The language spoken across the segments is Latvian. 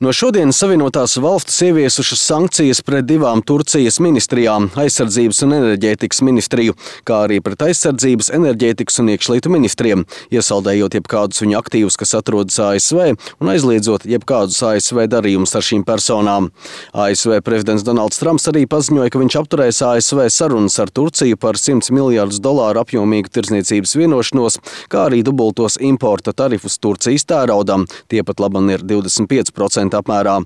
No šodienas Savienotās valstis ieviesušas sankcijas pret divām Turcijas ministrijām – aizsardzības un enerģētikas ministriju, kā arī pret aizsardzības, enerģētikas un iekšlietu ministriem, iesaldējot jebkādus viņu aktīvus, kas atrodas ASV, un aizliedzot jebkādus ASV darījumus ar šīm personām. ASV prezidents Donalds Trumps arī paziņoja, ka viņš apturēs ASV sarunas ar Turciju par $100 miljardus apjomīgu tirdzniecības vienošanos, kā arī dubultos importa tarifus Turcijas tēraudam. Tie pat laban ir 25% apmērā.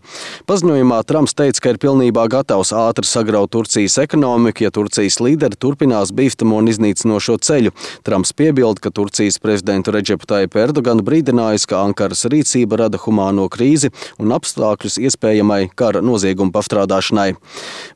Paziņojumā Trumps teica, ka ir pilnībā gatavs ātri sagraut Turcijas ekonomiku, ja Turcijas līderi turpinās bīstamo un iznīcinošo ceļu. Trumps piebilda, ka Turcijas prezidentu Redžepu Tajipu Erdoganu brīdinājis, ka Ankaras rīcība rada humāno krīzi un apstākļus iespējamai kara noziegumu pastrādāšanai.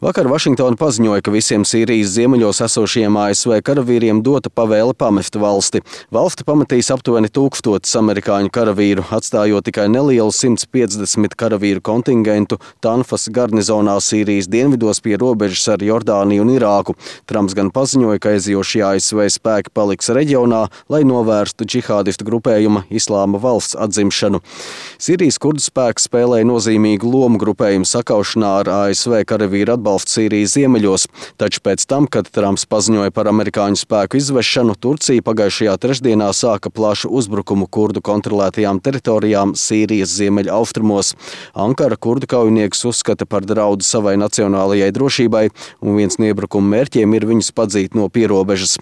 Vakar Vašingtona paziņoja, ka visiem Sīrijas ziemeļos esošajiem ASV karavīriem dota pavēle pamest valsti. Valsti pametīs aptuveni 1000 amerikāņu karavīru, atstājot tikai nelielu 150 karavīru kontingentu Tanfas garnizonā Sīrijas dienvidos pie robežas ar Jordāniju un Irāku. Trumps gan paziņoja, ka aizjošie ASV spēki paliks reģionā, lai novērstu džihādistu grupējuma Islāma valsts atzimšanu. Sīrijas kurdu spēki spēlēja nozīmīgu lomu grupējumu sakaušanā ar ASV karavīru atbalstu Sīrijas ziemeļos, taču pēc tam, kad Trumps paziņoja par amerikāņu spēku izvešanu, Turcija pagājušajā trešdienā sāka plašu uzbrukumu kurdu kontrolētajām teritorijām Sīrijas ziemeļaustrumos. Ankara kurdu kaujiniekus uzskata par draudu savai nacionālajai drošībai, un viens no iebrukuma mērķiem ir viņus padzīt no pierobežas.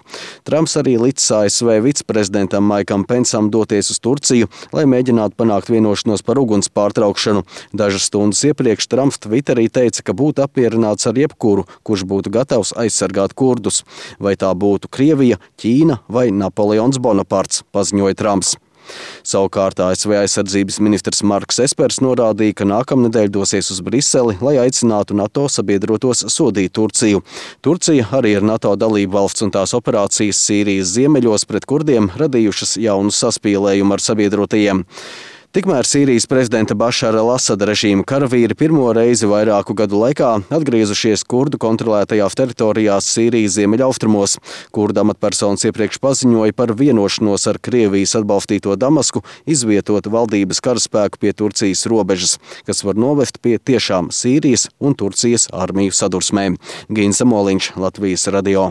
Trumps arī licis ASV viceprezidentam Maikam Pensam doties uz Turciju, lai mēģinātu panākt vienošanos par uguns pārtraukšanu. Dažas stundas iepriekš Trumps Twitterī teica, ka būtu apmierināts ar jebkuru, kurš būtu gatavs aizsargāt kurdus. Vai tā būtu Krievija, Ķīna vai Napoleons Bonaparts, paziņoja Trumps. Savukārt ASV aizsardzības ministrs Marks Espers norādīja, ka nākamnedēļ dosies uz Briseli, lai aicinātu NATO sabiedrotos sodīt Turciju. Turcija arī ir NATO dalība valsts un tās operācijas Sīrijas ziemeļos pret kurdiem radījušas jaunu saspīlējumu ar sabiedrotajiem. Tikmēr Sīrijas prezidenta Bašara al-Asada režīma karavīri pirmo reizi vairāku gadu laikā atgriezušies kurdu kontrolētajās teritorijās Sīrijas ziemeļaustrumos. Kurdu amatpersonas iepriekš paziņoja par vienošanos ar Krievijas atbalstīto Damasku izvietot valdības karaspēku pie Turcijas robežas, kas var novest pie tiešām Sīrijas un Turcijas armiju sadursmēm. Gins Zamoliņš, Latvijas radio.